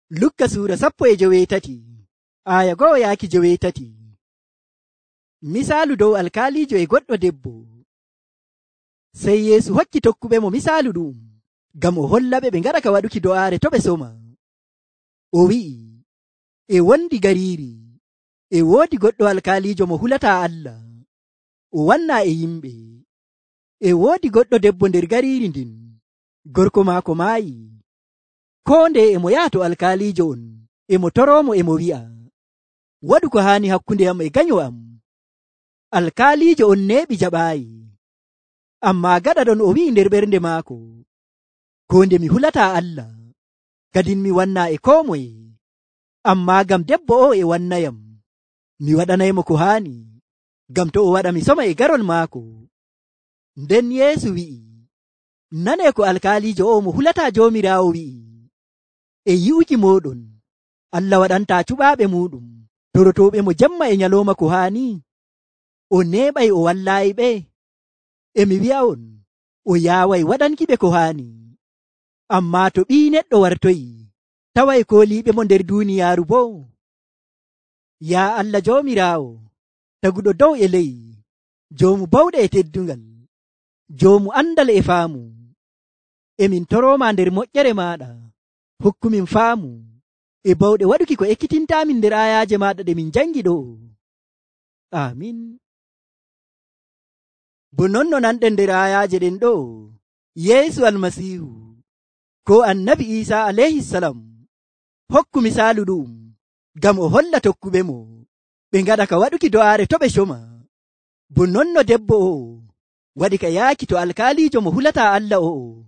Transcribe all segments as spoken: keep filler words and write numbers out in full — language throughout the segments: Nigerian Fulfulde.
Lukka suura sappo e joweetati aya go'o yaaki joweetati. Misaalu dow alkaalijo e goɗɗo debbo. Sey Yeesu hokki tokkuɓe mo misaalu ɗum ngam o hollaɓe ɓe ngaɗa ka waɗuki do'aare to ɓe soma. O wi'i, e wondi gariiri e woodi goɗɗo alkaalijo mo hulataa Allah, o wannaa e yimɓe. E woodi goɗɗo debbo nder gariiri ndin, gorko maako maayi. Koo ndeye e mo yaha to alkaalijo on, e mo toroomo e mo wi'a, waɗu ko haani hakkunde am e ganyo am. Alkaalijo on neeɓi jaɓaayi. Ammaa gaɗa ɗon o wi'i nder ɓernde maako, koo nde mi hulataa Allah, kadin mi wannaa e koo moye. Ammaa ngam debbo o e wannayam, mi waɗanaymo ko haani, ngam to o waɗa mi soma e garol maako. Nden Yeesu wi'i, nanee ko alkaalijo o mo hulataa Joomiraawo wi'i, e yi'uki mooɗon, Allah waɗantaa cuɓaaɓe muuɗum torotooɓe mo jemma e nyalooma ko haani. O neeɓay o wallaayiɓe. E mi wi'a'on, o yaaway waɗankiɓe ko haani. Ammaa to Ɓii Neɗɗo wartoyi, taway kooliiɓe mo nder duuniyaaru boo. Yaa Allah Joomiraawo, taguɗo dow e ley, joomu bawɗe e teddungal, joomu andal e faamu, emin torooma nder moƴƴere maaɗa, hokkumin faamu e bawɗe waɗuki ko ekkitintaamin nder ayaaje maaɗa ɗe min jangi ɗo. Amin. Bo non no nanɗen nder ayaaje ɗen ɗo, Yeesu Almasiihu ko Annabi Iisaa alayhisalam hokku misaalu ɗum ngam o holla tokkuɓe mo ɓe ngaɗa ka waɗuki do'aare to ɓe coma. Bo non no debbo o waɗi ka yaaki to alkaalijo mo hulataa Allah o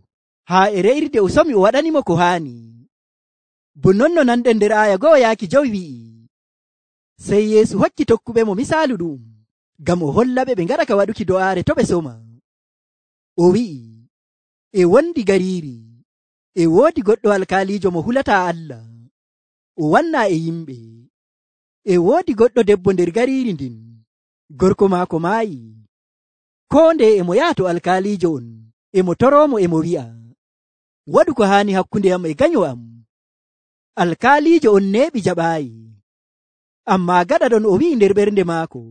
haa e re'irde o somi o waɗanimo ko haani. Bo non no nanɗen nder aya go'o yaaki jowi wi'i, sey Yeesu hokki tokkuɓe mo misaalu ɗum ngam o hollaɓe ɓe ngaɗa ka waɗuki do'aare to ɓe soma. O wi'i, e wondi gariiri e woodi goɗɗo alkaalijo mo hulataa Allah, o wannaa e yimɓe. E woodi goɗɗo debbo nder gariiri ndin, gorko maako maayi. Koo ndeye e mo yaha to alkaalijo on, e mo toroomo e mo wi'a, waɗu ko haani hakkunde am e ganyo am. Alkaalijo on neeɓi jaɓaayi. Ammaa gaɗa ɗon o wi'i nder ɓernde maako,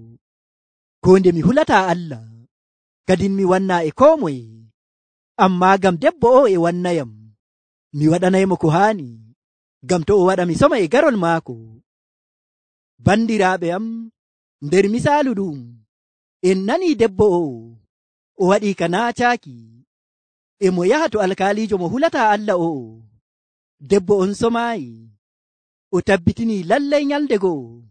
koo nde mi hulataa Allah, kadin mi wannaa e koo moye. Ammaa ngam debbo o e wannayam, mi waɗanaymo ko haani, ngam to o waɗa mi soma e garol maako. Bandiraaɓe am, nder misaalu ɗum, en nanii debbo o o waɗii ka naacaaki, e mo yaha to alkaalijo mo hulataa Allah o. Debbo on somaayi, o tabbitinii lallay nyalde go'o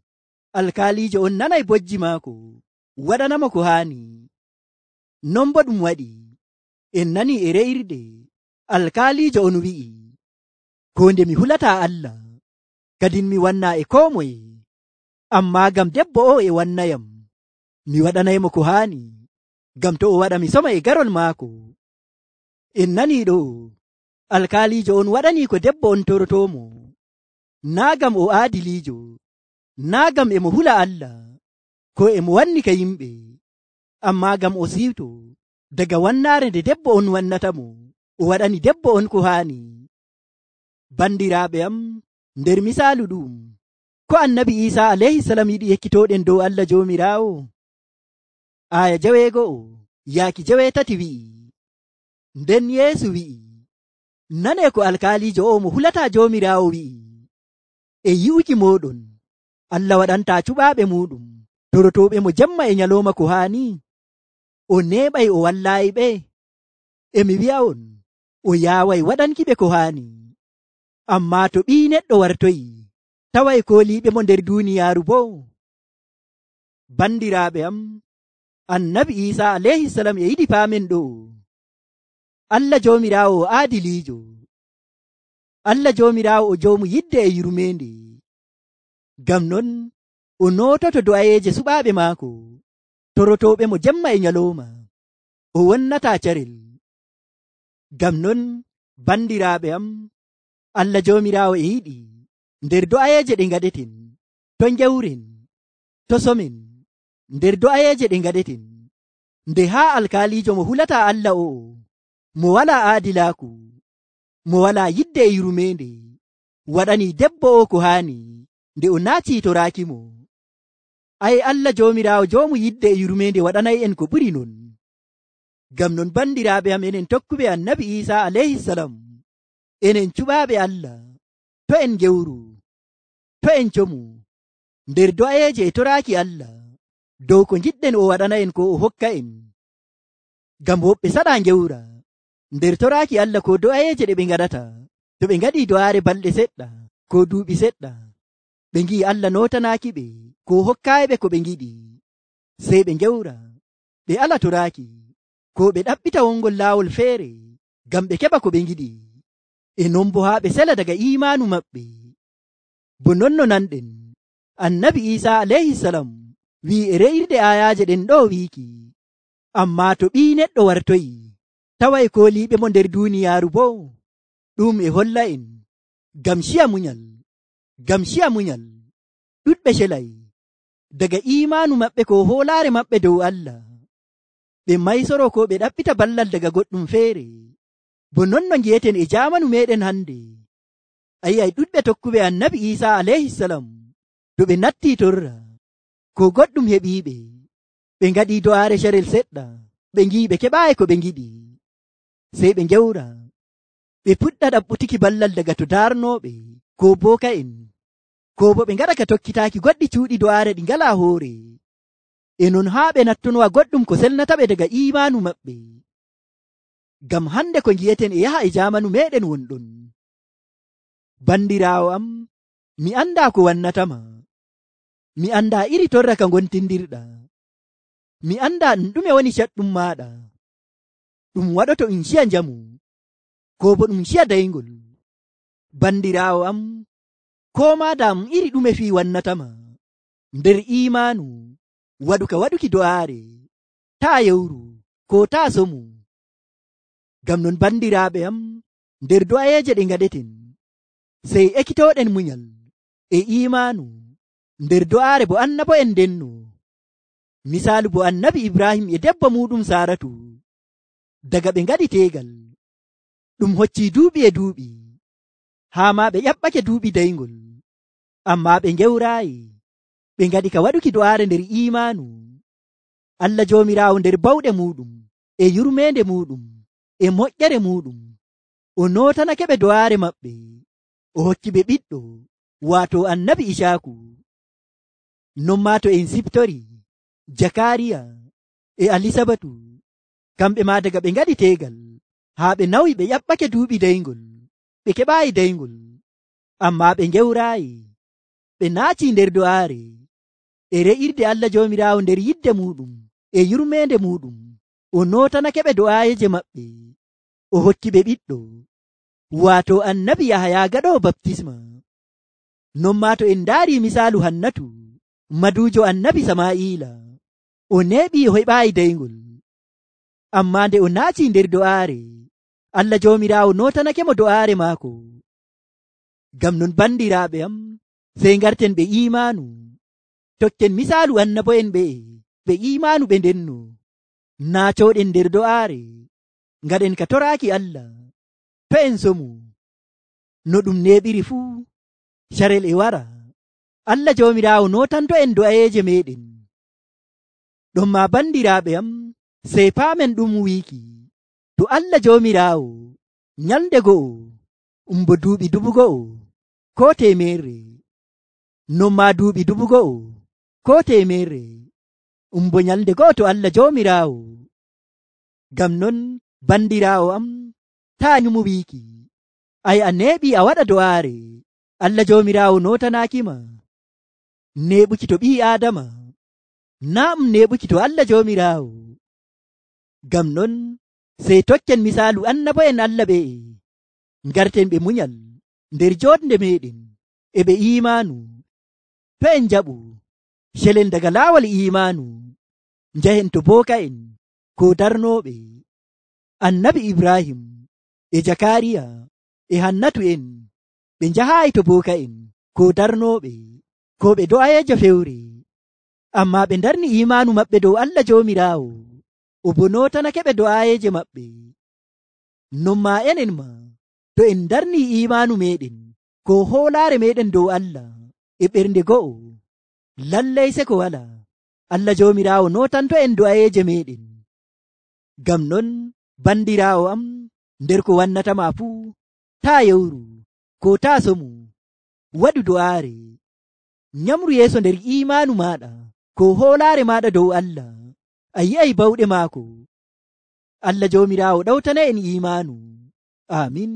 alkaalijo on nanay bojji maako, waɗanamo ko haani. Non bo ɗum waɗi, en nanii e re'irde alkaalijo on wi'i, koo nde mi hulataa Allah, kadin mi wannaa e koo moye. Ammaa ngam debbo o e wannayam, mi waɗanaymo ko haani, ngam to o waɗa mi soma e garol maako. En nanii ɗo, alkaalijo on waɗanii ko debbo on torotoomo, naa ngam o aadiliijo, naa ngam e mo hula Allah, ko e mo wanni ka yimɓe, ammaa ngam o siwto daga wannaare nde debbo on wannatamo, o waɗani debbo on ko haani. Bandiraaɓe am, nder misaalu ɗum, ko Annabi Iisaa alayhisalam yiɗi ekkitooɗen dow Allah Joomiraawo. Aya jaweego'o yaaki jaweetati wi'i, nden Yeesu wi'i, nanee ko alkaalijo o mo hulataa Joomiraawo wi'i, e yi'uki mooɗon, Allah waɗantaa cuɓaaɓe muuɗum torotooɓe mo jemma e nyalooma ko haani. O neeɓay o wallaayiɓe. E mi wi'a'on, o yaaway waɗankiɓe ko haani. Ammaa to Ɓii Neɗɗo wartoyi, taway kooliiɓe mo nder duuniyaaru boo. Bandiraaɓe am, Annabi Iisaa alayhisalam e yiɗi paamen ɗo, Allah Joomiraawo o aadiliijo. Allah Joomiraawo o joomu yidde e yurmeende. Ngam non o noototo do'ayeeje suɓaaɓe maako, torotooɓe mo jemma e nyalooma, o wonnataa carel. Ngam non, bandiraaɓe am, Allah Joomiraawo e yiɗi nder do'ayeeje ɗe ngaɗeten, to njawren, to somen, nder do'ayeeje ɗe ngaɗeten, nde haa alkaalijo mo hulataa Allah o, mo walaa aadilaaku, mo walaa yidde e yurmeende, waɗani debbo o ko haani nde o naati toraaki mo. Ai Allah joomiraawo joomu yidde e yurmeende waɗanay en ko ɓuri non. Ngam non bandiraaɓe am, enen tokkuɓe annabi Iisaa alayhisalam, enen cuɓaaɓe Allah, to en gewru, to en comu nder do'ayeeje e toraaki Allah dow ko ngiɗɗen o waɗana en ko o hokka en. Ngam woɓɓe saɗaa ngewra nder toraaki Allah ko do'ayeeje ɗe ɓe ngaɗata to ɓe ngaɗii do'aare balɗe seɗɗa ko duuɓi seɗɗa, ɓe ngi'i Allah nootanaaki ɓe ko hokkaayi ɓe ko ɓe ngiɗi, sey ɓe ngewra ɓe ala toraaki ko ɓe ɗaɓɓita wongol laawol feere ngam ɓe keɓa ko ɓe ngiɗi, e non bo haa ɓe sela daga iimaanu maɓɓe. Bo non no nanɗen annabi Iisaa alayhisalam wi'i e re'irde aayaaje ɗen ɗo wiiki, ammaa to ɓii neɗɗo wartoyi taway kooliiɓe mo nder duuniyaaru boo, ɗum e holla en ngam ciya munyal, ngam ciya munyal ɗuɗɓe celay daga iimaanu maɓɓe ko hoolaare maɓɓe dow Allah, ɓe maysoro ko ɓe ɗaɓɓita ballal daga goɗɗum feere. Bo non no ngi'eten e jaamanu meɗen hande, a yi'ay ɗuɗɓe tokkuɓe annabi Iisaa alayhisalam to ɓe nattii torra ko goɗɗum heɓiiɓe, ɓe ngaɗii do'aare carel seɗɗa, ɓe ngi'i ɓe keɓaayi ko ɓe ngiɗi, sey ɓe ngewra ɓe puɗɗa ɗaɓɓutuki ballal daga to daarnooɓe ko booka'en, ko bo ɓe ngaɗa ka tokkitaaki goɗɗi cuuɗi do'aare ɗi ngalaa hoore, e non haa ɓe nattonowa goɗɗum ko selnata ɓe daga iimaanu maɓɓe. Ngam hande ko ngi'eten e yaha e jaamanu meɗen wonɗon. Bandiraawo am, mi andaa ko wannatama, mi andaa iri torra ka ngontindirɗa, mi andaa ɗum ɗume woni caɗɗum maaɗa, ɗum waɗoto ɗum ciya njamu ko bo ɗum ciya dayngol. Bandiraawo am, ko maa daa ɗum iri ɗume fii wannatama nder iimaanu waɗu ka waɗuki do'aare, taa yewru ko taa somu. Ngam non bandiraaɓe am, nder do'ayeeje ɗe ngaɗeten sey ekkitooɗen munyal e iimaanu nder do'aare bo annabo en ndenno. Misaalu bo annabi Ibrahim e debbo muɗum Saaratu, daga ɓe ngaɗi teegal ɗum hoccii duuɓi e duuɓi, haa maa ɓe ƴaɓɓake duuɓi dayngol, ammaa ɓe ngewraayi, ɓe ngaɗi ka waɗuki do'aare nder iimaanu. Allah joomiraawo nder bawɗe muɗum e yurmeende muɗum e moƴƴere muɗum o nootanake ɓe do'aare maɓɓe, o hokki ɓe ɓiɗɗo waato annabi Icaaku. Non maa to en siftori Jakariya e Alisabatu, kamɓe maa daga ɓe ngaɗi teegal haa ɓe nawi ɓe ƴaɓɓake duuɓi dayngol, ɓe keɓaayi dayngol, ammaa ɓe ngewraayi, ɓe naatii nder do'aare e re'irde Allah joomiraawo nder yidde muɗum e yurmeende muɗum, o nootanake ɓe do'aayeje maɓɓe, o hokki ɓe ɓiɗɗo waato annabi Yahaya gaɗoowo baptisma. Non maa to en ndaari misaalu Hannatu maduujo annabi Samaa'ila, o neeɓii o heɓaayi dayngol, ammaa nde o naatii nder do'aare Allah joomiraawo nootanake mo do'aare maako. Ngam non bandiraaɓe am, sey ngarten ɓe iimaanu, tokken misaalu annabo'en ɓe ɓe iimaanu ɓe ndenno, naacooɗen nder do'aare, ngaɗen ka toraaki Allah, to en somu no ɗum neeɓiri fuu carel e wara, Allah joomiraawo nootanto en do'ayeeje meɗen. Ɗon maa bandiraaɓe am, sey paamen ɗum wiiki, to Allah joomiraawo nyalde go'o umbo duuɓi dubu go'o ko teemerre, non maa duuɓi dubu go'o ko teemerre umbo nyalde go'o to Allah joomiraawo. Ngam non bandiraawo am, taa nyumu wiiki ay a neeɓi a waɗa do'aare Allah joomiraawo nootanaakima, neeɓuki to ɓii aadama naa ɗum neeɓuki to Allah joomiraawo. Ngam non sey tokken misaalu annabo'en Allah ɓe, ngarten ɓe munyal nder jooɗnde meɗen e ɓe iimaanu, to en njaɓu celen daga laawol iimaanu njahen to booka'en ko darnooɓe. Annabi Ibrahim e Jakariya e Hannatu en ɓe njahaayi to booka'en ko darnooɓe ko ɓe do'ayeejo fewre, ammaa ɓe ndarni iimaanu maɓɓe dow Allah joomiraawo, o bo nootanake ɓe do'ayeeje maɓɓe. Non maa enen ma to en ndarni iimaanu meɗen ko hoolaare meɗen dow Allah e ɓernde go'o, lallay seko wala. Allah joomiraawo nootanto en do'ayeeje meɗen. Ngam non bandiraawo am, nder ko wannatama fuu, taa yewru ko taa somu, waɗu do'aare, nyamru yeeso nder iimaanu maaɗa ko hoolaare maaɗa dow Allah, a yi'ay bawɗe maako. Allah joomiraawo ɗawtana en iimaanu. Amin.